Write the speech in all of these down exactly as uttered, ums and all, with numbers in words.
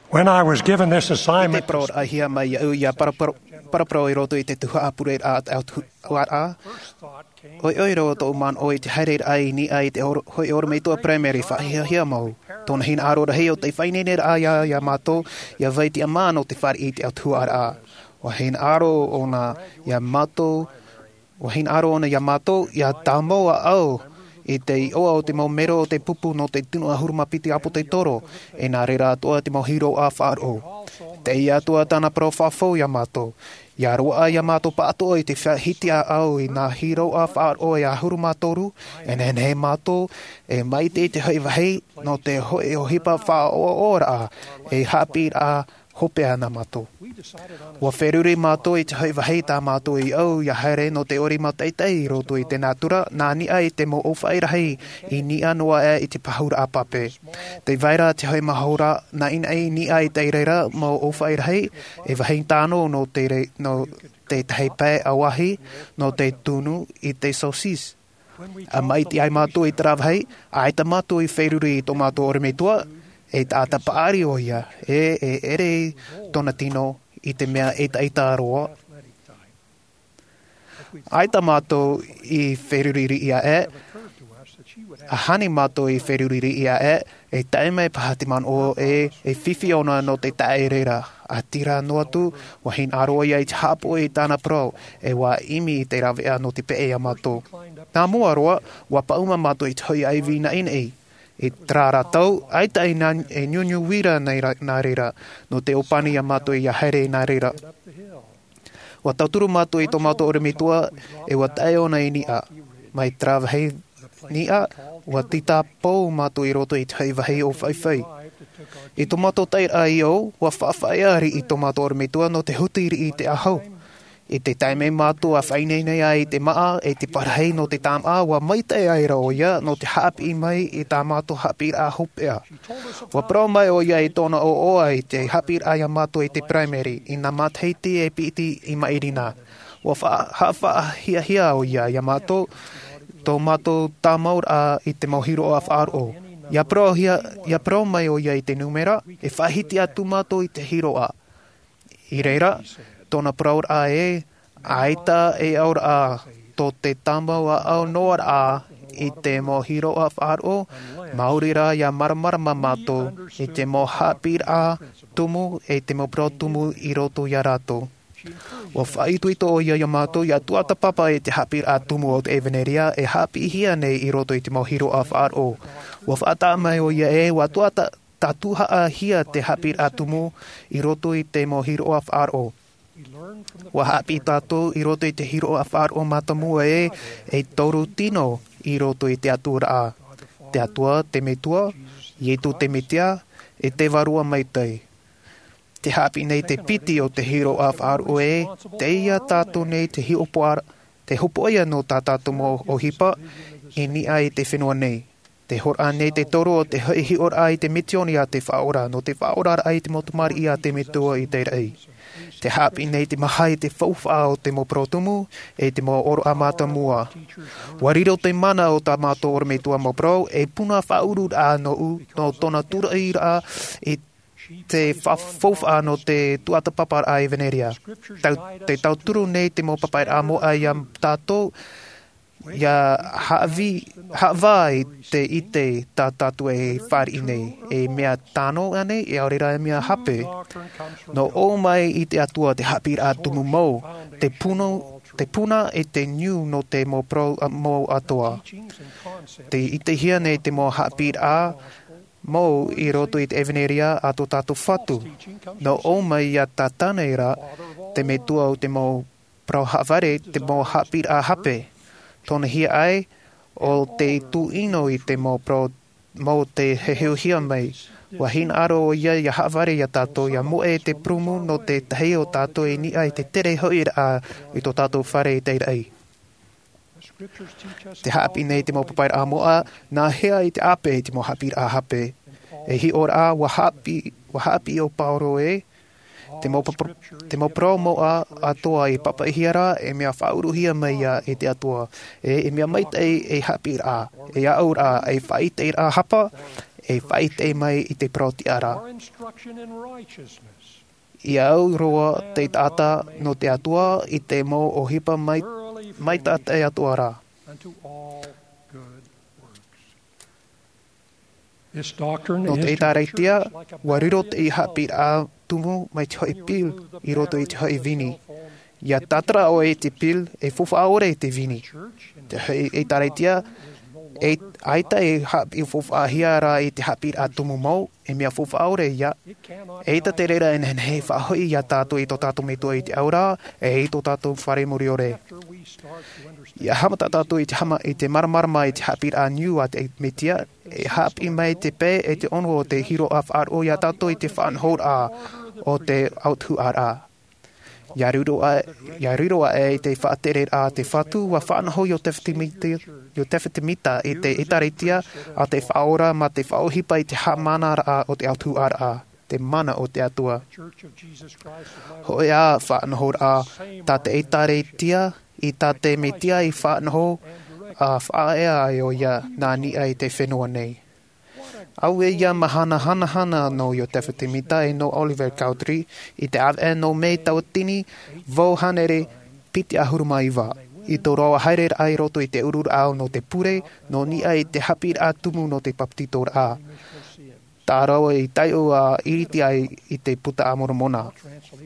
When I was given this assignment, te parau raʻa hia mai au ia paraparau i roto i te tuhaʻa pureraʻa a te autahuʻaraʻa, ʻoiʻoi roa tōʻu manaʻo i te haereraʻa i niʻa i te hoʻe ʻorometua primary faʻahiahia mau. Tōna hinaʻaro rahi o te faʻaineineraʻa ia mātou ia vai tiʻamā nō te fare i te autahuʻaraʻa. Ua hinaʻaro ʻoia ia mātou ua hinaʻaro ʻoia ia mātou ia tāmau ʻaʻau i te iʻoa o te mau mero o te pupu nō te tino ʻahuru mā piti ʻāpōsetolo, e nā reira atoʻa te mau hiroʻa faʻaroʻo. Teie atoʻa tāna parau faʻafou ia mātou ia roaʻa ia mātou pāʻatoʻa i te faʻahiti ʻaʻau i nā hiroʻa faʻaroʻo e ʻahuru mā toru. E nehenehe mātou e maite i te hoʻe vāhi nō te hoʻe ʻohipa faʻaʻoaʻoaraʻa e haʻapiʻiraʻa hopeʻa nā mātou. Ua feruri mātou i te hoʻe vāhi tā mātou i ʻau ia haere nō te ʻori mātaʻitaʻi i roto i te nātura nā niʻa i te mau ʻōfaʻi rahi i niʻa noa aʻe i te pahuraʻa pape. Tē vai ra te hoʻe mahora naʻinaʻi i niʻa i te reira mau ʻōfaʻi rahi, e vāhi tano nō te tētahi pae ʻauahi nō te tunu i te saucisse. A maʻiti ai mātou i terā vāhi, ʻaita mātou i feruri i tō mātou ʻorometua, e taʻata paʻari ʻoia e e ʻere i tōna tino i te mea ʻetaʻeta roa. ʻAita mātou i feruri riʻi aʻe, a hāni mātou i feruri riʻi aʻe, e tae mai paha te manaʻo e e fifi ʻoia nō te taʻa reira. A tira noa atu ua hinaʻaro ʻoia i te haʻapoʻi i tāna parau, e ua ʻimi i te raveʻa nō te peʻe ia mātou. Nā mua roa ua paʻuma mātou i te hoʻe ʻaivi naʻinaʻi. I terā rā tau ʻaita e niuniu uira nā reira nō te ʻōpani ia mātou ia haere nā reira. Ua tauturu mātou i tō mātou ʻorometua e ua tae ʻoia i niʻa. Mai terā vāhi niʻa ua tita pou mātou i roto i te hoʻe vāhi ʻōfaʻi. I tō mātou taeraʻa i ʻau ua faʻafaʻaea riʻi tō mātou ʻorometua nō te huti riʻi i te ʻahu. I te taime mātou a faʻaineine ai i te māʻa e te parahi nō te tāmaʻa ua maitaʻi ai rā ʻoia nō te haʻapiʻi mai i tā mātou haʻapiʻiraʻa hopeʻa. Ua parau mai ʻoia i tōna ʻoaʻoa i te haʻapiʻiraʻa ia mātou i te primary i nā matahiti e piti i maʻiri na. Ua haʻafaʻahiahia ʻoia ia mātou tō mātou tāmauraʻa i te mau hiroʻa faʻaroʻo. Ia parau mai ʻoia i te numera e faʻahiti atu mātou i te hiroʻa. I reira tōna parauraʻa e ʻaita e ʻauraʻa tō te tāmau ʻaʻau noa raʻa i te mau hiroʻa faʻaroʻo. Māori rā ia māramarama mātou i te mau haʻapiʻiraʻa tumu e te mau parau tumu i roto ia rātou. Ua faʻaitoito ʻoia ia mātou ia tuatāpapa i te haʻapiʻiraʻa tumu o te ʻevanelia e haʻapiʻihia nei i roto i te mau hiroʻa faʻaroʻo. Ua faʻataʻa mai ʻoia e ua tuatāpapa tātuhaʻahia te haʻapiʻiraʻa tumu i roto i te mau hiroʻa faʻaroʻo. Ua haʻapiʻi tātou i roto i te hiroʻa faʻaroʻo mātāmua e e toru tino i roto i te atura. Te atua te metua, iesu te mesia, e te vārua maitaʻi. Te haʻapiʻi nei te piti o te hiroʻa faʻaroʻo e teie tātou nei te hiʻopoʻa te hopoʻia nō tā tātou mau ʻohipa i niʻa i te fenua nei. Te horoʻa nei te toro o te hoʻi hiʻoraʻa i te misioni a te faʻaora nō te faʻaoraraʻa i te mau tamariʻi a te metua i te raʻi. Te haʻapiʻi nei te maha i te faufaʻa o te mau parau tumu e te mau ʻōroʻa mātāmua. Ua riro te mana o tā mātou ʻorometua mau parau e puna faʻaururaʻa nōʻu nō tōna turaʻiraʻa i te faufaʻa nō te tuatāpaparaʻa ʻevanelia. Te tauturu nei te mau papaʻiraʻa moʻa ia tātou ia haʻavā i te ʻite tā tātou e fāriʻi nei e mea tano ʻanei e ʻaore rā e mea hape. Nō ʻō mai i te atua te haʻapiʻiraʻa tumu mau te puna i te niu nō te mau parau mau atoʻa. Te ʻitehia nei te mau haʻapiʻiraʻa mau i roto i te ʻevanelia a tō tātou fatu. Nō ʻō mai ia tātane rā te metua o te mau parau haʻavare te mau haʻapiʻiraʻa hape. Tōna hiaʻai o te tūʻino i te mau parau mau te heheuhia mai. Ua hinaʻaro ʻoia ia haʻavare ia tātou ia moʻe te prumu nō tētahi o tātou i niʻa i te tere hoʻiraʻa i tō tātou fare i te raʻi. Te haʻapiʻi nei te mau papaʻiraʻa moʻa nā hea i te ʻāpē i te mau haʻapiʻiraʻa hape. E hiʻoraʻa ua haʻapiʻi o pauro e te mau parau moʻa atoʻa i papaʻihia rā e mea faʻauruhia mai ia e te atua e e mea maitaʻi e haʻapiʻiraʻa e aʻauraʻa e faʻaiteraʻa hapa e faʻaʻite mai i te parau tiʻa ra. Or instruction in righteousness. ʻIa au roa te taʻata nō te Atua i te mau ʻohipa mai, mai tā te Atua ra. Unto all good works. This doctrine Nō te is to the ʻĒtārētia, church like a ua riro te baptism haʻapiʻiraʻa tumu mai te hoʻi pil i roto i te hoʻi vini. ʻIa tātara ʻoe i te pil, e faufaʻa ʻore i te vini. Te hoʻi ʻĒtārētia, e ʻaita e haʻapiʻi faufaʻahia ra i te haʻapiʻiraʻa tumu mau, e mea faufaʻa ʻore ia. ʻAita te reira e nehenehe e faʻahoʻi ia tātou i tō tātou Metua i te ao ra, e i tō tātou Fare Muriore. ʻIa haʻamata tātou i te hama, i te māramarama i te haʻapiʻiraʻa niu a te Metia, e haʻapiʻi mai te pae e te ono o te hiroʻa faʻaroʻo ia tātou i te faʻanahoraʻa o te autahuʻaraʻa. ʻIa riro aʻe, ʻia riro aʻe i te faʻatereraʻa a te Fatu, ʻua faʻanaho Iosepha Semita, Iosepha Semita i te ʻĒtārētia a te Faʻaora mā te faʻaʻohipa i te haʻamanaraʻa o te autahuʻaraʻa, te mana o te Atua. Hōʻē ā faʻanahoraʻa tā te ʻĒtārētia, i tā te Metia i faʻanaho, ʻa faʻaea ai ʻoia nā niʻa i te fenua nei. Auē ia mahana hanahana nō Iosepha Semita e nō Oliver Cowdery, i te ʻāvaʻe nō Mē tauatini vaʻu hānere piti ʻahuru mā iva, i tō rāua haereraʻa i roto i te ururaʻa nō te pure, nō niʻa i te haʻapiʻiraʻa tumu nō te papetitoraʻa. Tā rāua i taiʻo ʻa ʻiriti ai i te Puta a Moromona.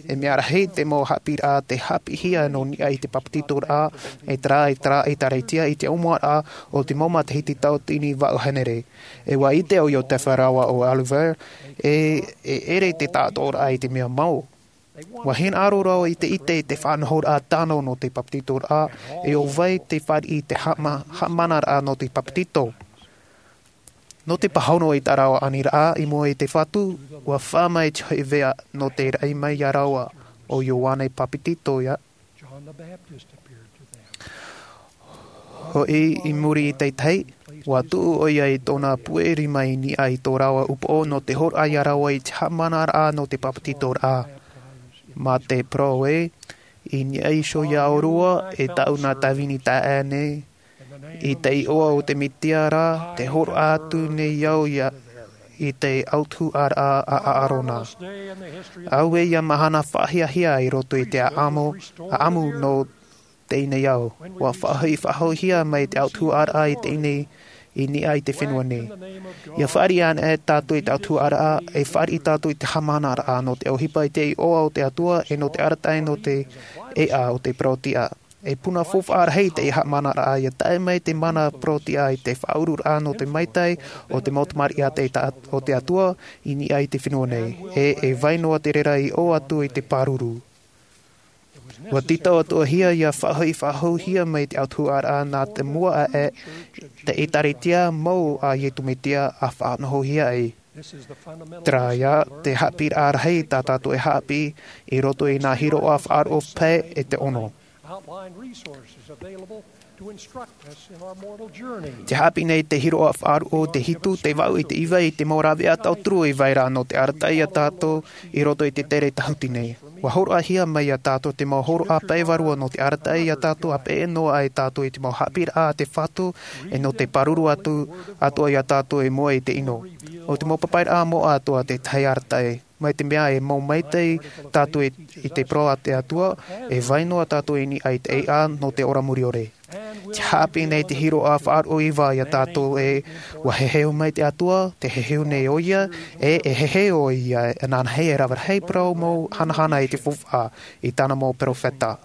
E mea rahi te mau haʻapiʻiraʻa tē haʻapiʻihia nō niʻa i te papetitoraʻa, e terā, e terā ʻĒtārētia i te ʻōmuaraʻa o te mau matahiti tauatini vaʻu hānere. E ʻua ʻite ʻo Iosepha rāua ʻo Oliver, e, e ʻere te taʻatoʻaraʻa i te mea mau. ʻUa hinaʻaro rāua i te ʻite i te faʻanahoraʻa tano nō te papetitoraʻa, e ʻo vai te fāriʻi i te haʻama-, haʻamanaraʻa nō te papetito. Nō te pāhono i tā rāua aniraʻa i mua i te Fatu, ʻua fā mai te hoʻi veʻa nō te raʻi mai ia rāua, ʻo Ioane Papetito ia. Hoʻi i muri i te tahi, ʻua tuʻu ʻoia i tōna puʻe rima i niʻa i tō rāua upoʻo nō te hōroʻa ia rāua i te haʻamanaraʻa nō te papetitoraʻa. Mā te parau ē, i niʻa iho ia ʻōrua, e tāʻu nā tāvini taeaʻe nei, i te iʻoa o te Metia ra, tē hōroʻa atu nei au ia, i te autahuʻaraʻa a ʻĀrona. Auē ia mahana faʻahiahia i roto i te ʻāʻamu, ʻāʻamu nō teie nei ao. ʻUa faʻahoʻi-, faʻahoʻihia mai te autahuʻaraʻa i teie nei, i niʻa i te fenua nei. ʻIa fāriʻi anaʻe tātou i te autahuʻaraʻa, e fāriʻi tātou i te haʻamanaraʻa nō te ʻohipa i te iʻoa o te Atua, e nō te arataʻi nō te ʻēʻa o te parau tiʻa. E puna faufaʻa rahi te haʻamanaraʻa, ʻia tae mai te mana parau tiʻa i te faʻaururaʻa nō te maitai o te mau tamariʻi a te ta-, o te Atua, i niʻa i te fenua nei. E, e vai noa te reira i ʻō atu i te pāruru. ʻUa tītau-atoʻa-hia ʻia faʻahoʻi-, faʻahoʻihia mai te autahuʻaraʻa nā te mua aʻe, te ʻĒtārētia mau a Iesu Mesia ʻa faʻanahohia ai. Terā ia te haʻapiʻiraʻa rahi tā tātou e haʻapiʻi i roto i nā hiroʻa faʻaroʻo pae e te ono. Te haʻapiʻi nei te hiroʻa faʻaroʻo te hitu, te vaʻu, i te iva, i te mau rāveʻa tauturu i vai ra nō te arataʻi ia tātou i roto i te tere tahuti nei. ʻUa hōroʻahia mai ia tātou te mau hōroʻa pae vārua nō te arataʻi ia tātou, ʻa peʻe noa ai tātou i te mau haʻapiʻiraʻa a te Fatu, e nō te pāruru atu, atoʻa ia tātou i mua i te ʻino. ʻO te mau papaʻiraʻa moʻa atoʻa te tahi arataʻi. Mai te mea e mau maitaʻi tātou i, i te parau a te Atua, e vai noa tātou i niʻa i te ʻēʻa nō te ora muriore. Te haʻapiʻi nei te hiroʻa faʻaroʻo iva ia tātou ē, ʻua heheu mai te Atua, tē heheu nei ʻoia, e, e heheu ʻoia, e nānahi e rave rahi parau mau hanahana i te faufaʻa, i tāna mau perofeta.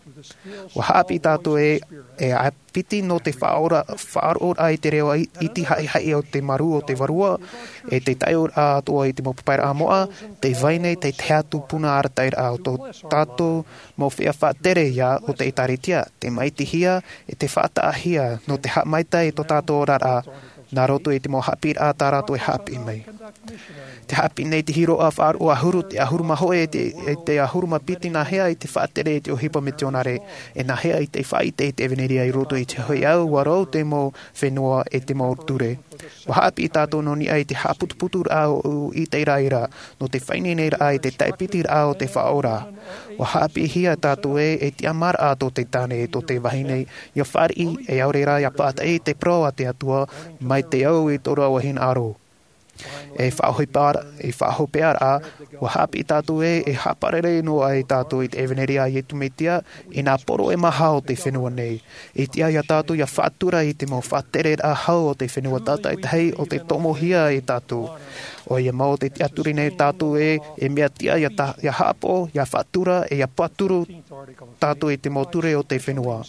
ʻUa haʻapiʻi tātou ē, e ʻāpiti nō te faʻaora-, faʻaroʻoraʻa i te reo i-, iti haʻihaʻi o te marū o te Vārua, e te taiʻoraʻa atoʻa i te mau papaʻiraʻa moʻa, tē vai nei te tahi atu puna arataʻiraʻa o tō tātou mau feiā faʻatere ia o te ʻĒtārētia, tē maitihia, e tē faʻataʻahia, nō te haʻamaitaʻi i tō tātou oraraʻa, nā roto i te mau haʻapiʻiraʻa tā rātou e haʻapiʻi mai. Te haʻapiʻi nei te hiroʻa faʻaroʻo ʻahuru, te ʻahuru mā hōʻē, te, e te ʻahuru mā piti nāhea i te faʻatere i te ʻohipa mitionare, e nāhea i te faʻaʻite i te ʻevanelia i roto i te hoʻi ao, ʻua rau te mau fenua e te mau ture. ʻUa haʻapiʻi tātou nō niʻa i te haʻaputuputuraʻa o ʻĪteraʻera, nō te faʻaineineraʻa i te taʻepitiraʻa o te Faʻaora. ʻUa haʻapiʻihia tātou ē, e tiʻamāraʻa tō te tāne, tō te vahine, ʻia fāriʻi, e ʻaore rā ʻia pātaʻi i te parau a te Atua, mai te au i tō rāua hinaʻaro. E faʻahopeʻa, e faʻahopeʻa rā, ua haʻapiʻi tātou ē, e haʻaparare noa ai tātou i te ʻevaneria a Iesu Mesia, i nā poro e maha o te fenua nei. I tiʻa ia tātou ia faʻatura i te mau faʻatereraʻa hau o te fenua tātaʻitahi o te tomohia e tātou. ʻOia mau te tiʻaturi nei tātou ē, e mea tiʻa ia tā, ia haʻapaʻo, ia faʻatura, e ia pāturu tātou i te mau ture o te fenua.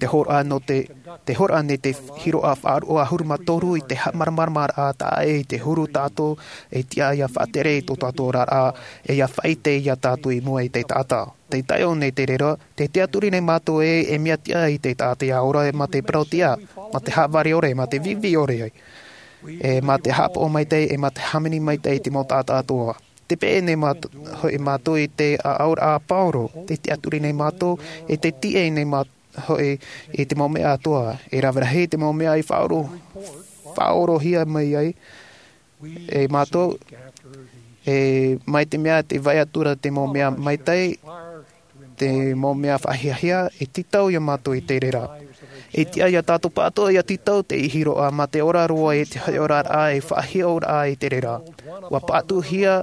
Te hōroʻa nō te, te hōroʻa nei te hiroʻa faʻaroʻo ʻahuru mā toru i te haʻamāramaramaraʻa taʻa ʻē i te huru tātou, e tiʻa ia faʻatere i tō tātou oraraʻa, e ia faʻaʻite ia tātou i mua i te taʻata. Te taʻo nei te reira, te tiʻaturi nei mātou ē, e mea tiʻa i te taʻata ia ora, e mā te parau tiʻa, mā te haʻavare ʻore, mā te vivi ʻore ai. E mā te haʻapaʻo maitaʻi, e mā te hāmani maitaʻi i te mau taʻata atoʻa. Te peʻe nei māt-, hoʻi mātou i te ʻaʻauraʻa a Pauro, te tiʻaturi nei mātou, e te tiʻa nei māt-, hoʻi i te mau mea atoʻa, e rave rahi te mau mea i faʻaʻoro-, faʻaʻorohia mai ai, e mātou, e mai te mea te vai atu ra te mau mea maitaʻi, te mau mea faʻahiahia, e tītau ia mātou i te reira. E tiʻa ia tātou pāʻatoʻa ia tītau te hiroʻa mā te ora roa i te hoʻi oraraʻa e faʻahiʻoraʻa i te reira. Ua pāʻatuhia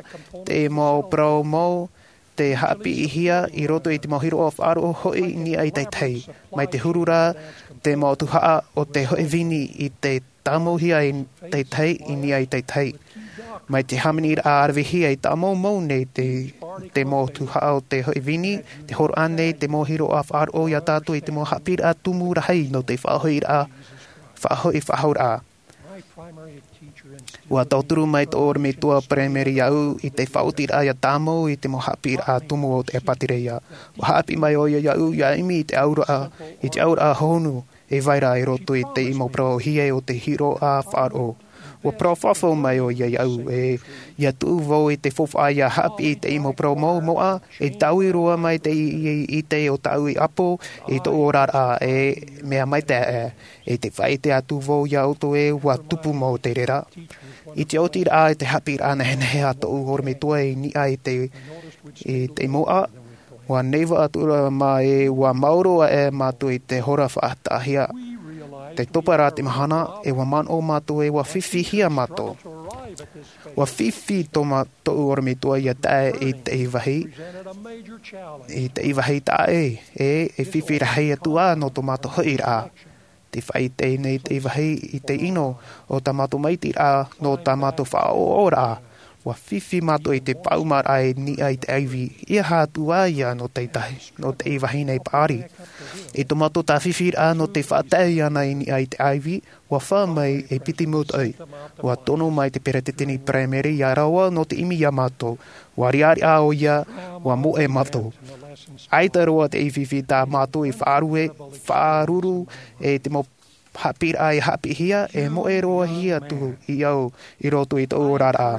te mau parau mau, te haʻapiʻihia i roto i te mau hiroʻa faʻaroʻo hoʻi i niʻa i te tahi. Mai te huru rā, te mau tuhaʻa o te hoʻi vini i te tāmauhia i te tahi, i niʻa i te tahi. Mai te hāmaniraʻa ravehia i tāmau mau nei te, te mau tuhaʻa o te hoʻi vini, te hōroʻa nei te mau hiroʻa faʻaroʻo ia tātou i te mau haʻapiʻiraʻa tumu rahi nō te faʻahoʻiraʻa, faʻahoʻi faʻahouraʻa. Ua tauturu mai tō ʻorometua paraimere iaʻu i te faʻaotiraʻa ia tāmau i te mau haʻapiʻiraʻa tumu o te ʻEpitereia. Ua haʻapiʻi mai ʻoia iaʻu ia ʻimi i te auraʻa, i te auraʻa honu, e vai ra i roto i te mau parau ʻōhie o te hiroʻa faʻaroʻo. Ua parau fafau mai ʻoia iaʻu ē, ia tuʻu vau i te faufaʻa ia haʻapiʻi i te mau parau mau moʻa, e taui roa mai te i, i, i te o tāʻu i ʻapo, i tōʻu oraraʻa, e mea maitaʻi, e te faʻaʻite atu vau ia ʻoutou ē, ua tupu mau te reira. I te oti rā i te haʻapiʻiraʻa nehenehe a tōʻu ʻorometua i niʻa i te, i te moʻa, ua neiva atu ra mā ē, ua maoro aʻe mātou i te hora faʻataʻahia. Tē topa ra te mahana, e ua manaʻo mātou ē, ua fifihia mātou. Ua fifi tō mā-, tōʻu ʻorometua ia tae i te vāhi, i te vāhi taʻa ʻē, e, e fifi rahi atu ā nō tō mātou hoʻiraʻa. Te faʻaʻite nei te vāhi i te ʻino o tā mātou maitiraʻa, nō tā mātou faʻaʻoʻoraʻa. Ua fifi mātou i te pāʻumaraʻa i niʻa i te ʻaivi, ʻeiaha atu ā ia nō te tahi, nō te vāhi nei paʻari. I tō mātou tāfifiraʻa nō te faʻatae iāna i niʻa i te ʻaivi, ua fā mai e piti mūtoʻi. Ua tono mai te peretiteni paraimere ia rāua nō te ʻimi ia mātou. Ua riʻariʻa ʻoia, ua moʻe mātou. ʻAita roa te fifi tā mātou i faʻarue, faʻaruru, e te mau haʻapiʻiraʻa i haʻapiʻihia, e moʻe roa hia atu i au i roto i tōʻu oraraʻa.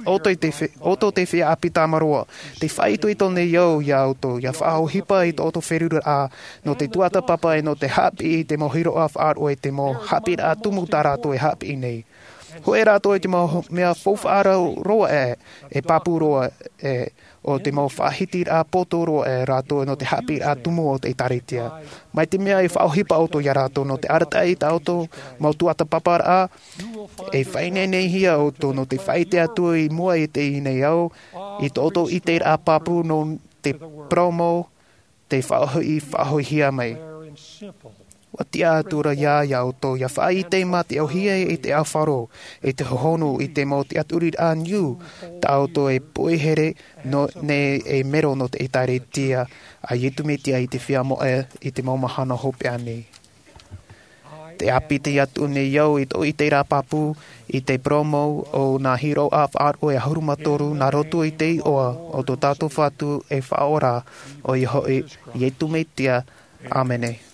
ʻOutou te fe-, ʻoutou te feiā ʻāpī tāmāroa, tē faʻaitoito nei au ia ʻoutou, ia faʻaʻohipa i tō ʻoutou feruriraʻa, nō te tuatāpapa e nō te haʻapiʻi i te mau hiroʻa faʻaroʻo e te mau haʻapiʻiraʻa tumu tā rātou e haʻapiʻi nei. Hōʻē rātou i te mau mea faufaʻa roa ē, e pāpū roa ē, ʻo te mau faʻahitiraʻa poto roa ē rātou nō te haʻapiʻiraʻa tumu o te ʻĒtārētia. Mai te mea e faʻaʻohipa ʻoutou ia rātou nō te arataʻi i tā ʻoutou mau tuatāpaparaʻa, e faʻaineine hia ʻoutou nō te faʻaʻite atu i mua i teie nei ao, i tō ʻoutou ʻiteraʻa pāpū nō te parau mau, te faʻahoʻi, faʻahoʻihia mai. Ua tiʻa atu ra ia, ia ʻoutou, ia faʻaʻite mā te ʻōhie i te ʻāfaro, i te hohonu, i te mau tiʻaturiraʻa niu, tā ʻoutou e poihere, nō, nei e mero nō te ʻĒtārētia, a Iesu Mesia i te feiā moʻa, i te mau mahana hopeʻa nei. Tē ʻāpiti atu nei au i tōʻu ʻiteraʻa pāpū, i te parau mau o nā hiroʻa faʻaroʻo e ʻahuru mā toru nā roto i te iʻoa o tō tātou Fatu e Faʻaora, ʻoia hoʻi, Iesu Mesia. ʻĀmene.